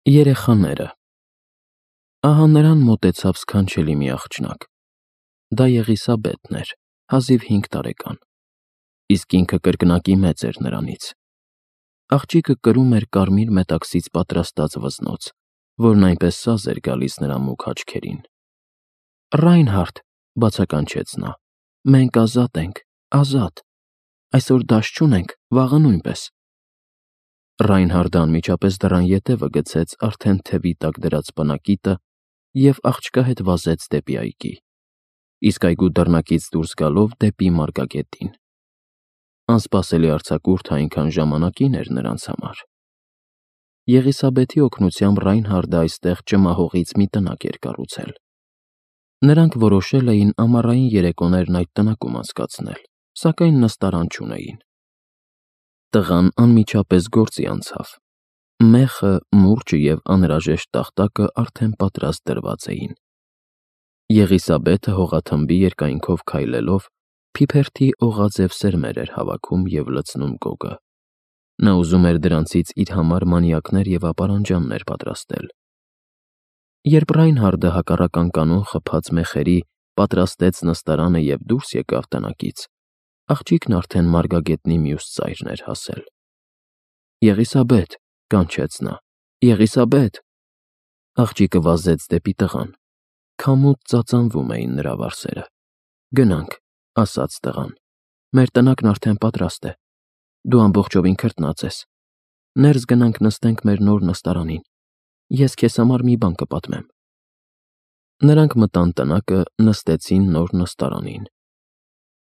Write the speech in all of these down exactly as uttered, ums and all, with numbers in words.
Երեխաները։ Ահա նրան մոտեցավ սքանչելի մի աղջնակ. դա Եղիսաբեթն էր, հազիվ հինգ տարեկան, իսկ ինքը կրկնակի մեծ էր նրանից։ Աղջիկը կրում էր կարմիր մետաքսից պատրաստած վզնոց, որն այնպես սազ էր գալիս նրա մուգ աչքերին։ Ռայնհարդ, բացականչեց նա, մենք ազատ ենք, ազատ, այսօր դաս չունենք, վաղը նույնպես։ Ռայնհարդը անմիջապես դռան ետևը գցեց արդեն թևի տակ դրած պնակիտը և աղջկա հետ վազեց դեպի այգի, իսկ այգու դռնակից դուրս գալով դեպի մարգագետին։ Անսպասելի արձակուրդը այնքան ժամանակին էր նրանց համար։ Եղիսաբեթի օգնությամբ Ռայնհարդը այստեղ ճմահողից մի տնակ էր կառուցել։ Նրանք որոշել էին ամառային երեկոներն այդ տնակում անցկացնել, սակայն նստարան չունեին։ Տղան անմիջապես գործի անցավ։ Մեխը, մուրճը և անհրաժեշտ տախտակը արդեն պատրաստ դրված էին։ Եղիսաբեթը հողաթմբի երկայնքով քայլելով փիփերթի օղաձև սերմեր էր հավաքում և լցնում գոգը։ Նա ուզում էր դրանցից իր համար մանյակներ և ապարանջաններ պատրաստել։ Երբ Ռայնհարդը հակառակ անկանոն խփած մեխերի պատրաստեց նստարանը և դուրս եկավ տնակից, աղջիկն արդեն մարգագետնի մյուս ծայրն էր հասել։ Եղիսաբեթ, կանչեց նա, Եղիսաբեթ։ Աղջիկը վազեց դեպի տղան։ Քամուց ծածանվում էին նրա վարսերը։ Գնանք, ասաց տղան, մեր տնակն արդեն պատրաստ է, դու ամբողջովին քրտնած ես, ներս գնանք նստենք մեր նոր նստարանին, ես քեզ համար մի բան կպատմեմ։ Նրանք մտան տնակը, նստեցին նոր նստարանին։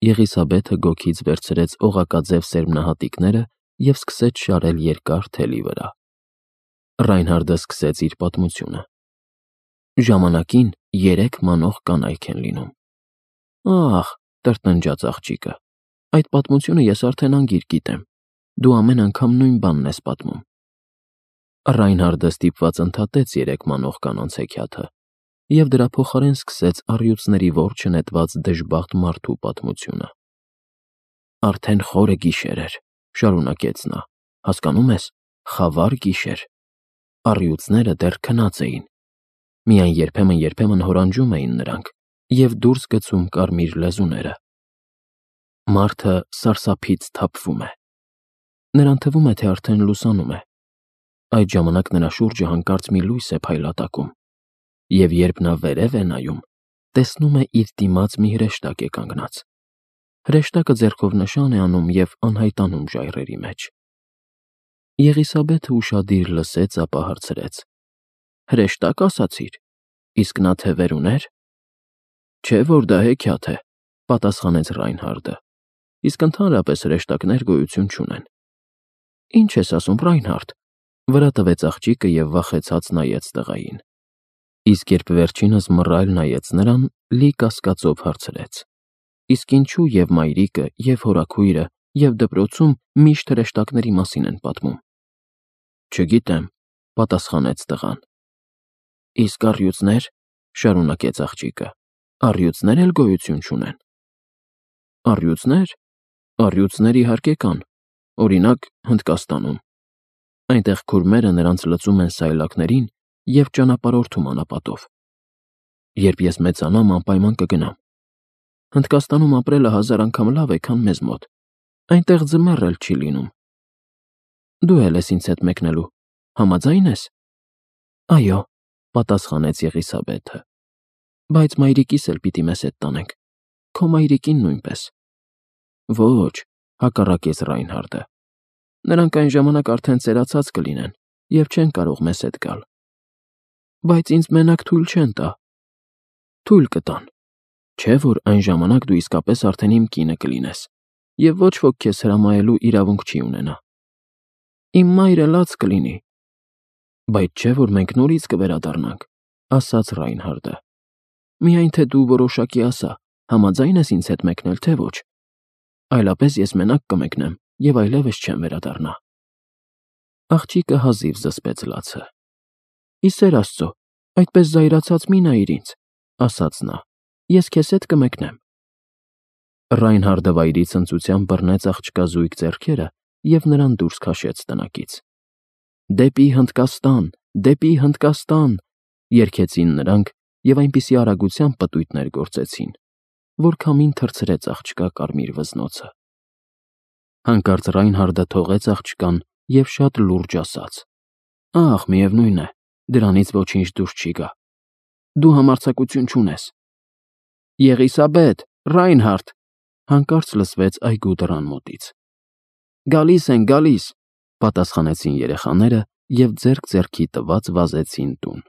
Եղիսաբեթը գոգից վերցրեց օղակաձև սերմնահատիկները և սկսեց շարել երկար թելի վրա։ Ռայնհարդը սկսեց իր պատմությունը։ Ժամանակին երեք մանող կանայք են լինում։ Ահ, տրտնջաց աղջիկը, այդ պատմությունը ես արդեն անգիր գիտեմ, դու ամեն անգամ նույն բանն ես պատմում։ Ռայնհարդը ստիպված ընդհատեց երեք մանող կանանց հեքիաթը և դրա փոխարեն սկսեց առյուծների որջը նետված դժբախտ մարդու պատմությունը։ Արդեն խորը գիշեր էր, շարունակեց նա, հասկանո՞ւմ ես, խավար գիշեր։ Առյուծները դեռ քնած էին, միայն երբեմն-երբեմն հորանջում էին նրանք և դուրս գցում կարմիր լեզուները։ Մարդը սարսափից թափվում է։ Նրան թվում է, թե արդեն լուսանում է։ Այդ ժամանակ նրա շուրջը հանկարծ մի լույս է փայլատակում, և երբ նա վերև է նայում, տեսնում է իր դիմաց մի հրեշտակ է կանգնած։ Հրեշտակը ձեռքով նշան է անում և անհայտանում ժայռերի մեջ։ Եղիսաբեթը ուշադիր լսեց, ապա հարցրեց. Հրեշտա՞կ ասացիր, իսկ նա թևեր ուներ։ Չէ՞ որ դա հեքիաթ է, պատասխանեց Ռայնհարդը, իսկ ընդհանրապես հրեշտակներ գոյություն չունեն։ Ինչ ես ասում, Ռայնհարդ, վրա տվեց աղջիկը և վախեցած նայեց տղային։ Իսկ երբ վերջինս մռայլ նայեց նրան, լի կասկածով հարցրեց. Իսկ ինչու և մայրիկը, և հորաքույրը, և դպրոցում միշտ հրեշտակների մասին են պատմում։ Չգիտեմ, պատասխանեց տղան։ Իսկ առյուծնե՞ր, շարունակեց աղջիկը, առյուծնե՞ր էլ գոյություն չունեն։ Առյուծնե՞ր, առյուծներ իհարկե կան, օրինակ Հնդկաստանում։ Այնտեղ քուրմերը նրանց լցում են սայլակներին և ճանապարհորդում անապատով։ Երբ ես մեծանամ, անպայման կգնամ։ Հնդկաստանում ապրելը հազար անգամ լավ է, քան մեզ մոտ, այնտեղ ձմեռ էլ չի լինում։ Դու էլ ես ինձ հետ մեկնելու, համաձայն ես։ Այո, պատասխանեց Եղիսաբեթը, բայց մայրիկիս էլ պիտի մեզ հետ տանենք, քո մայրիկին նույնպես։ Ոչ, հակառակեց Ռայնհարդը, նրանք այն ժամանակ արդեն ծերացած կլինեն և չեն կարող մեզ հետ գալ։ Բայց ինձ մենակ թույլ չեն տա։ Թույլ կտան, չէ՞ որ այն ժամանակ դու իսկապես արդեն իմ կինը կլինես, և ոչ ոք քեզ հրամայելու իրավունք չի ունենա։ Իմ մայրը լաց կլինի։ Բայց չէ՞ որ մենք նորից կվերադառնանք, ասաց Ռայնհարդը։ Միայն թե դու որոշակի ասա, համաձայն ես ինձ հետ մեկնել, թե ոչ։ Այլապես ես մենակ կմեկնեմ և այլևս չեմ վերադառնա։ Աղջիկը հազիվ զսպեց լացը։ Ի սեր Աստծո, այդպես զայրացած մի նայիր ինձ, ասաց նա, ես քեզ հետ կմեկնեմ։ Ռայնհարդը վայրի ցնծությամբ բռնեց աղջկա զույգ ձեռքերը և նրան դուրս քաշեց տնակից։ Դեպի Հնդկաստան, Դեպի Հնդկաստան, երգեցին նրանք և այնպիսի արագությամբ պտույտներ գործեցին, որ քամին թռցրեց աղջկա կարմիր վզնոցը։ Հանկարծ Ռայնհարդը թողեց աղջկան և շատ լուրջ ասաց. «Ախ, միևնույն է, դրանից ոչինչ դուրս չի գա։ Դու համարձակություն չունես»։ Եղիսաբեթ, Ռայնհարդ, հանկարծ լսվեց այգու դռան մոտից։ Գալիս ենք, գալիս, պատասխանեցին երեխաները և ձեռք ձեռքի տված վազեցին տուն։